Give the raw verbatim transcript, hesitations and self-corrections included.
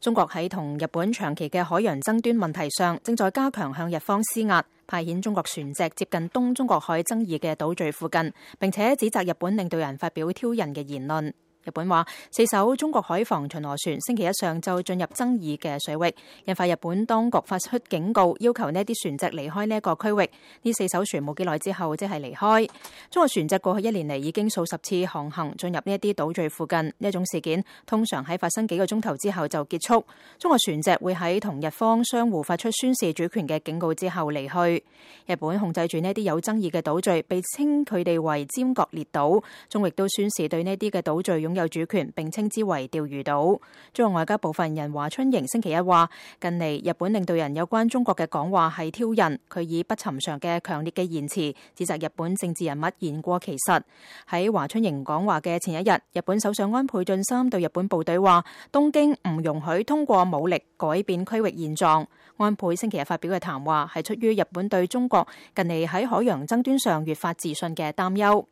中國喺同日本長期嘅海洋爭端問題上，正在加強向日方施壓，派遣中國船隻接近東中國海爭議嘅島嶼附近，並且指責日本領導人發表挑釁嘅言論。日本話四艘中國海防巡邏船星期一上晝進入爭議嘅水域，引發日本當局發出警告，要求呢啲船隻離開呢一個區域。呢四艘船冇幾耐之後即係離開。中國船隻過去一年嚟已經數十次航行進入呢一啲島嶼附近，呢一種事件通常喺發生幾個鐘頭之後就結束。中國船隻會喺同日方相互發出宣示主權嘅警告之後離去。日本控制住呢啲有爭議嘅島嶼，被稱佢哋為尖閣列島。中國亦都宣示對呢啲嘅島嶼擁有主權，並稱之為釣魚島。中國外交部發言人華春瑩星期一話，近嚟日本領導人有關中國嘅講話係挑釁，佢以不尋常嘅強烈嘅言辭指責日本政治人物言過其實。喺華春瑩講話嘅前一日，日本首相安倍晉三對日本部隊話，東京唔容許通過武力改變區域現狀。安倍星期日發表嘅談話係出於日本對中國近嚟喺海洋爭端上越發自信嘅擔憂。